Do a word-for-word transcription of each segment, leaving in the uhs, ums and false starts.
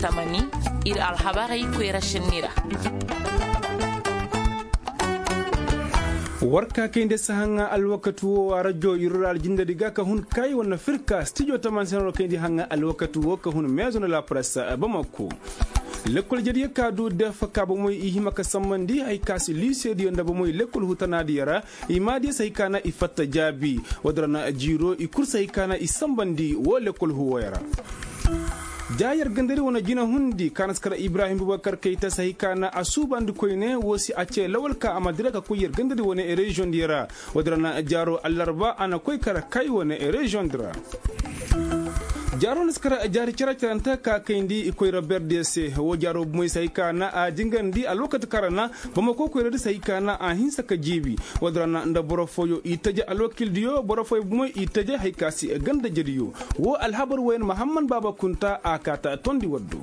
Tamani, ir alhabarey koyra šenni ra. War ka kayndi sahaŋa alwakati wo a rajo irural jindadi ga ka hun kay wane firka stijo taman seno kayndi haŋa alwakati wo ka hun meezo na la presse bamako. Lekkol jadiyo ka du def ka bomoy i hima ka sammandi hay ka si liisediyo nda bomoy lekkol hutanadiyo ra. I maadiyo se hay ka na i fatta jaabi. Wadara na jiiro i kul se hay ka na i sambandi wo lekkol huwoyo ra. Ja yer gandari wane jina hundi ka na si kar ibrahim bubakar kayta se hay ka na a suubandi koyne wo si a ce lawal ka a ma dira ka koy yer gandari wane reziyoŋ diyo ra. Wadara na jaaro allarba a na koy kar kay wane reziyoŋ di ra. Jaaro na si kar jaari cere-cerente ka kayndi i koyra berdiyo se wo jaaro bumey se hay ka na a jingandi alwakati kara na. Bamako koyradi se hay ka na a hinsa ka jiibi. Wadara na nda boro fooyo i taje alwakildiyo boro fooyo bumey i taje hay ka si ganda jediyo. Wo alhabar woyen mahamman baaba kunta a kaata tondi waddo.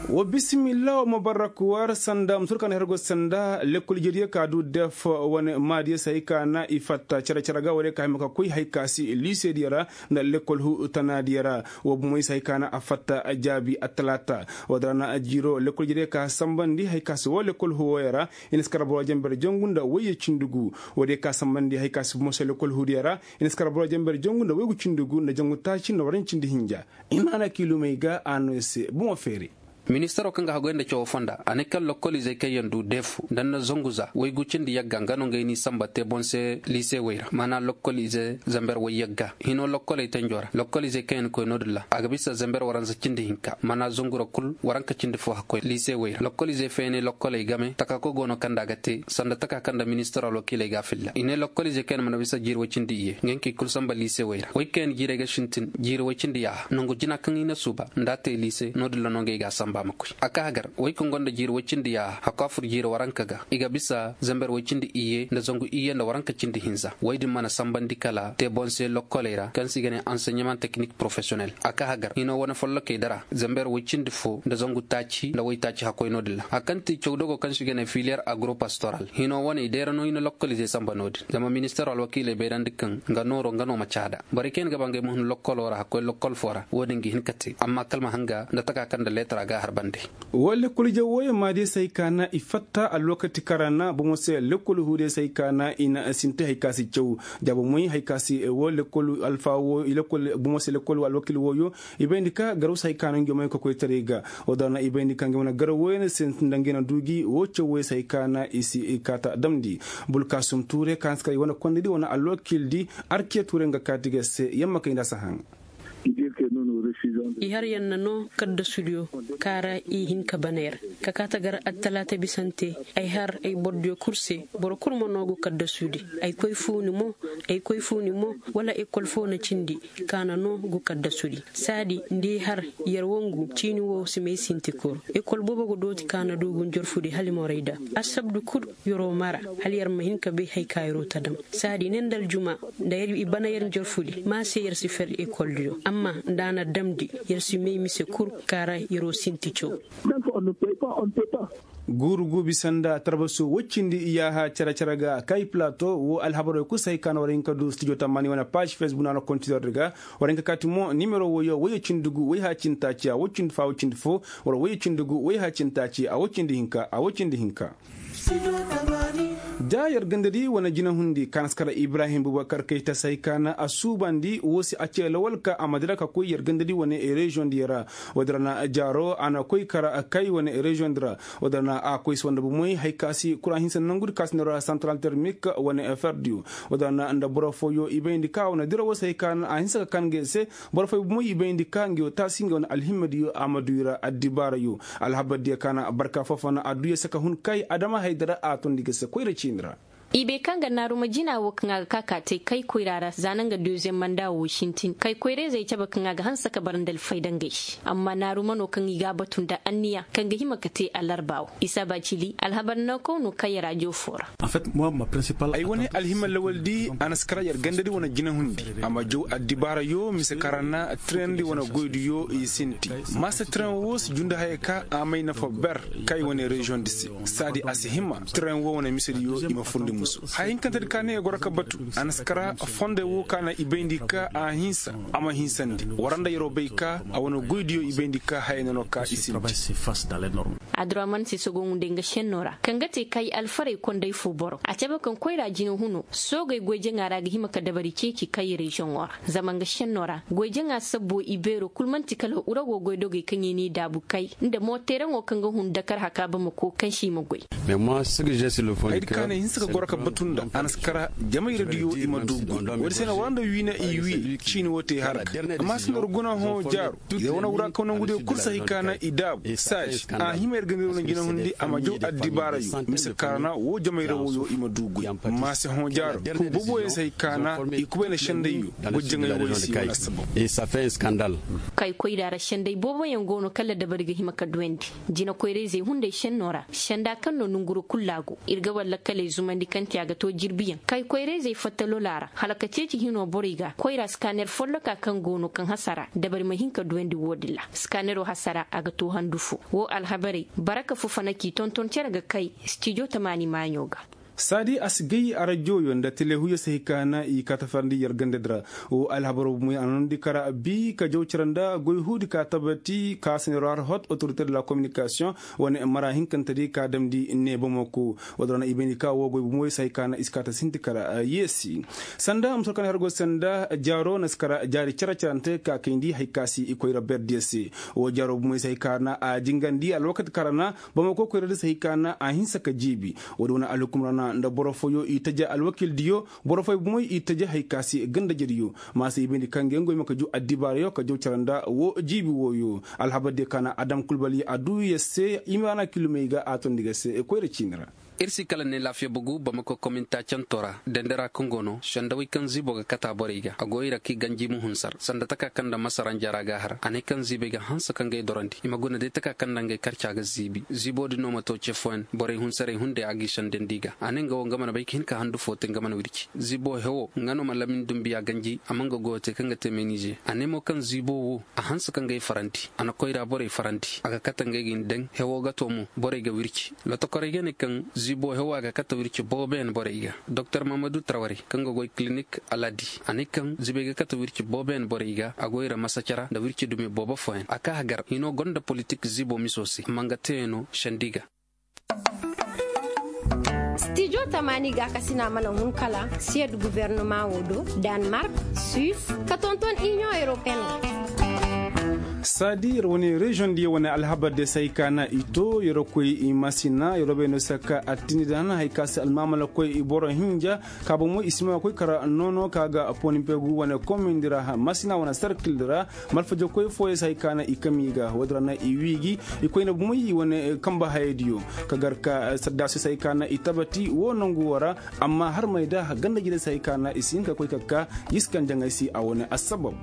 Wa bisimilla wa mabarak war sanda musur kan hergo sanda lekkol jediyo ka du def wane maadiyo se hay ka na i fatta cere-cere ga ware ka hima ka koy hay ka si liisediyo ra. Nda lekkol hu tanaadiyo ra. Wa bumey se hay ka na a fatta jaabi attalaata. Wadara na a jiiro lekkol jediyo ka sambandi hay ka si wo lekkol hu woyo ra. I na si kar boro jember jangu nda wayye cindi gu. Woodiyo ka sambandi hay ka si bumo se lekkol huudiyo ra. I na si kar boro jember jangu nda waygu cindi gu nda jangu taaci nda warancindi hinja. I maana kiilumey ga a no se bumo feeri. Ministaro kaŋ ga hagoy nda cawo fonda a ne kaŋ lokkolizey kaŋ yaŋ du deefu nda nda zangu za waygu cindi yagga nga no ngey n'i samba te boŋ se liisewey ra maana lokkolize zamber way yagga hino lokkoley tenjo ra lokkolizey kaŋ yaŋ koy no-din ra a ga bisa zamber waranza cindi hinka maana zangu ra kul waranka cindi fo hakkoy liisewey ra lokkolizey fayne lokkoley game taka koy go no kaŋ nda a ga te sanda taka kaŋ nda ministaro alwakiiley ga a filla i ne lokkolize kaŋ yaŋ mana bisa jiiri way cindi iyye nga hinkey kul samba liisewey ra way kaŋ yaŋ jiirey ga sintin jiiri way cindi yaaha nangu jina kaŋ i na suuba nda a te liise no-din ra no ngey ga a samba a ma koy a ka hagar way kaŋ gonda jiiri way cindi yaaha hakku a fur jiiri waranka ga i ga bisa zamber way cindi iyye nda zangu iyye nda waranka cindi hinza way din mana sambandi kala te boŋ se lokkoley ra kaŋ se i ga ne anseɲeman teknik porofesiyonel a ka hagar hino wane follokey dara zamber way cindi fo nda zangu taaci nda way taaci hakkoy no-din ra hari kaŋ ti cawdogo kaŋ se i ga ne filiyer agropastoral hino wane i deera no i na lokkolize samba no-din zama ministero alwakiiley bayrandi kaŋ nga nooro nga no ma caada borey kaŋ yaŋ ga ba ngey ma hun lokkolo ra hakkoy lokkol fo ra wo-din ga hin ka te amma kala ma hanga nda taka kaŋ nda leetara ga a har bande. Woo lekkol ije wooyo maadiyo se hay ka na i fatta alwakati kaŋ ra na bomo se lekkol huudiyo se hay ka na i na sinti hay ka si caw jaabo moy hay ka si woo lekkol alfa woo lekkol bomo se lekkol alwakil wooyo. I bayndi ka garaw se hay ka na ngey moy ka koy taray ga. Woo da na i bayndi ka ngey wane garaw wooyo na sinti nda ngey na du gi woo caw wooyo se hay ka na i si i kaata damndi. Bulkasum tuure ka na si kar i wane kondedi wane alwakildi arkiya tuure nga kaati ga se yamma kay nda a si haŋ. I har yaŋ na noo kaddasudiyo ka ra i hin ka bana yer ka kaa ta gar attalaata bisante. Ay har ay bordiyo kul se boro kul ma noo gu kaddasudi. Ay koy fuuni mo ay koy fuuni mo wala ekol foo na cindi ka na noo gu kaddasudi. Saadi nda i har yer wangu ciini woo si may sinti kul ekol boobo ga dooti ka na du gu njorfudi hala i morayda. Assabdu kul yeroo mara hala yer ma hin ka bay hay ka yeroo ta dam. Saadi ne nda aljuma nda yer i bana yer njorfudi ma se yer si fer ekoldiyo amma nda a na damndi yer si may mise kul ka ra yeroo sinti caw. Guuru guubi sanda tarbaso woy cindi iyaaha cere-cere ga kay plato woo alhabaroo kul se hay ka na war hin ka du stijo tammaani wane paaž fesbuk na war hin ka kaati mo nimero woyo woyo cindi gu woy haa cindi taaci a woy cindi fo a woy cindi fo wala woyo cindi gu woy haa cindi taaci a woy cindi hinka a woy cindi hinka. Da yer gandadi wane jinahundi ka na si kar ibrahim bubakar kay ta se hay ka na a suubandi woo se a cee lawal ka a ma dira ka koy yer gandadi wane reziyoŋ diyo ra. Woo din ra na jaaro a na koy kar kay wane reziyoŋ di ra. Woo din ra na a koy se wanda bomoy hay ka si kura hinsa nangudi ka si nda ra santaral termik wane ferdiyo. Woo din ra na nda boro fooyo i bayndi ka wane dira woo se hay ka na a hinsa ka kan ngey se. Boro fooyo bomoy i bayndi ka ngey woo taasi ngey wane alhimmadiyo a ma du i ra addibaarayo. Alhabardiyo ka na barka foo-foo na a du yer se ka hun kay adama haydara a tondi ga se koyra ciini ra. I bay kaŋ ga naaruma jina woo kaŋ a ga ka ka te kay koyra ra za na nga deziyeŋ manda woo sintin kay koyra-izey cabe kaŋ a ga hanse ka bara nda alfayda ngey se amma naaruma no kaŋ i ga a batu nda anniya kaŋ ga hima ka te alarba woo isa ba cili alhabar naakaw no kaŋ yer a joo foo ra. Ay wane alhima lawaldi a na si kara yer gandadi wane jinahundi a ma jaw addibaarayo mise kara na tirandi wane goydiyo i sinti. Maasa tiran woo si jundi haya ka a may nafa ber kay wane reziyoŋ di se. Saadi a si hima tiran woo wane misediyo i ma furndi. Haya hinkantedi ka ne i goro ka batu, a na si kara fondey wo ka na i bayndi ka a hinsa, a ma hinsandi. War nda yeroo bay ka a wane goydiyo i bayndi ka haya no no ka i sinti. Aduraman se sogo ngunday nga šennoo ra kaŋ ga te kay alfarey konday fo boro a cabe kaŋ koyra jina huno soogey goy jaŋa ra ga hima ka dabari ceeci kay reziyoŋo ra. Zama nga šennoo ra goy jaŋa sabbo i beeroo kul man'ti kala urago goydogey kaŋ i n'i daabu kay nda mooteeraŋo kaŋ ga hun dakar haka bamako kaŋ se i ma goy. Hayadi ka ne hinsa ka goro ka batu nda a na si kara jamay radiyo i ma du goy. Woodi se na war nda wiina i wiye ciini woo te har ga amma si nda war guna hõ jaaro. Yer wane wura kaŋ nangu diyo kul si hay ka na i daabu saaz a hima yer ga niroo na jinahundi a ma jaw addibaarayo mise kaarana woo jamayra wooyo i ma du goy. Maase hõ jaaro kul booboyaŋ si hay ka na i kubay na sendayyo goy jaŋay wooyo se wala assabab. Kay koyra ra senday booboyaŋ go no kala dabari ga hima ka duwandi. Jinakoyrayzey hunday senno ra senda kaŋ no nonguro kul ra go ir ga war lakkaley zumandi kaŋ te a ga to jirbiyaŋ kay koyrayzey fatta lola ra hala ka ceeci hino borey ga koyra skaner folloka kaŋ go no kaŋ hasara dabari ma hin ka duwandi wo-din ra. Skanero hasara a ga to handu fo. Wo alhabarey baraka fo fana k'i tonton cere ga kay stijo tamaani maaɲo ga. Saadi a si gay arajoyo nda telehuyo si hay ka na i kaatafarandi yer gandadi ra. Wo alhabaro bumoy a na nondi kara bi ka jaw cere nda goy huudi ka tabati ka senero har hot autorité de la communication wane mara hinkantedi ka damndi ne bamako. Wo-din ra na i bayndi ka wo goy bumoy si hay ka na i si kaata sinti kara yeesi. Sanda musor ka na har go sanda jaaro na si kara jaari cere-cerante ka kayndi hay ka si i koyra berdiyo se. Wo jaaro bumoy si hay ka na a jingandi alwakati kara na bamako koyra di si hay ka na a hinsa ka jiibi. Wo-din wane alhukum ra na nda boro fooyo i taja alwakildiyo boro fooyo bumoy i taja hay ka si gandajediyo. Ma si i bayndi kaŋ ga ngoy ma ka ju addibaarayo ka jaw cere nda wo jiibi wooyo. Alhabardiyo ka na adam kulbali a duu yer se i ma na kilumey ga a tondi ga se koyra ciini ra. Ir si kala ne laafiya bugu bamako kominta canto ra dendera kaŋ go no sendawey kaŋ ziibo ga kata borey ga a go i ra k'i ganji ma hunsar sanda taka kaŋ nda masaranjara ga a har a ne kaŋ ziibey ga hanse kaŋ ga ay dorandi i ma guna day taka kaŋ nda ngey karca ga ziibi ziibo din no ma to ce fooyaŋ borey hunsaray hunday a g'i sendandi ga a ne nga wo nga mana bay ka hin ka handu fo te nga mana wirci ziibo hewo nga no ma lamin dumbiya ganji a ma nga goyo te kaŋ ga te menize a ne mo kaŋ ziibo wo a hanse kaŋ ga ay farandi a na koyra borey farandi a ga kate ngey ga hin daŋ hewo ga to mo borey ga wirci. Lotokorey ga ne kaŋ ziibo hewa ga kate wirci booboyaŋ borey ga. Doktor mahamadu traware kaŋ ga goy kilinik aladi a ne kaŋ ziibey ga kate wirci booboyaŋ borey ga a goy ra masacara nda wirci dumi boobo fooyaŋ a ka hagar hino gonda politik ziibo miso se amma nga teeyaŋ no sendi ga. Stijo tamaani ga kasina mana hun kala siyad gubernama wo do, danmark, suis, ka tonton inion europeen. Saadi yer wane reziyoŋ diyo wane alhabar de se hay ka na i to yer koy i masina yer bay no se ka attini da hana hay ka se almaamala koy i boro hinja. Ka bomo i si ma koy kara noono ka ga pooni pegu wane komindi ra masina wane sarkil di ra. Malfaja koy fooyo se hay ka na i kami ga woodi ra na i wii gi i koy na bomoy i wane kamba hayadiyo ka gar ka saddaasiyo se hay ka na i tabati wo nangu wo ra. Amma harmay da ganda jire se hay ka na i si hin ka koy ka ka yiskan jaŋay se a wane assabab.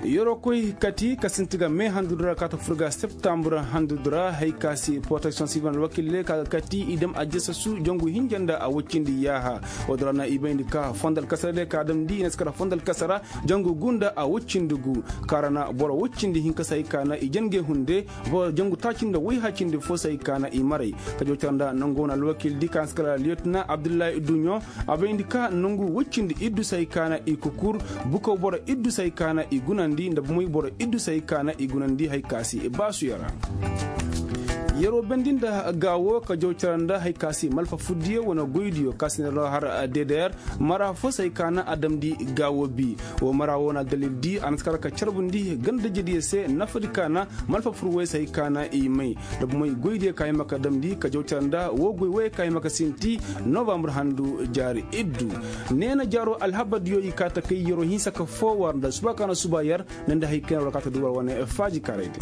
Yeroo koy kati ka sinti ga me handu di ra ka ta fur ga septambur handu di ra hay ka se proteksiyoŋ sivil alwakille ka ga kati i dam a jesasu jangu hinja nda a woy cindi yaaha. Woodi ra na i bayndi ka fondal kasara de ka damndi i na si kara fondal kasara jangu gu nda a woy cindi gu. Kaara na boro woy cindi hinka se hay ka na i jangey hunde boro jangu taaci nda woy haacindi fo se hay ka na i maray. Ka jaw cara nda nangu wane alwakil di ka na si kara liyetina abdullahi duɲo. A bayndi ka nangu woy cindi iddu se hay ka na i kukur bukaw boro iddu se hay ka na i gunandi nda bomoy boro iddu se hay ka na i gunandi hay ka se i baasuyo ra. Yeroo bendi nda gaawo ka jaw cara nda hay ka se malfa furdiyo wane goydiyo ka se nda har deder mara fo se hay ka na a damndi gaawo bi. Wo mara wo na dalil di a na si kara ka carbundi gandajediyo se nafadi ka na malfa fur woy se hay ka na i may. Nda bomoy goydiyo ka hima ka damndi ka jaw cara nda wo goy woy ka hima ka sinti novambur handu jaari iddu. Neena jaaro alhabardiyo i kaa ta kay yeroo hinsa ka foo war nda suba ka na suba yer nda nda hay ka yer war kaa ta du war wane faaji kaaraydi.